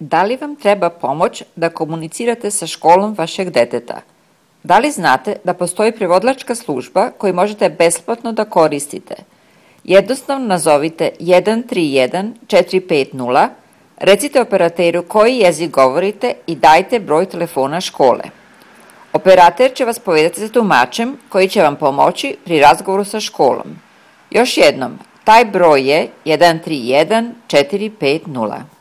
Da li vam treba pomoć da komunicirate sa školom vašeg deteta? Da li znate da postoji prevodilačka služba koju možete besplatno da koristite? Jednostavno nazovite 131 450, recite operateru koji jezik govorite i dajte broj telefona škole. Operater će vas povezati sa tumačem koji će vam pomoći pri razgovoru sa školom. Još jednom, taj broj je 131 450.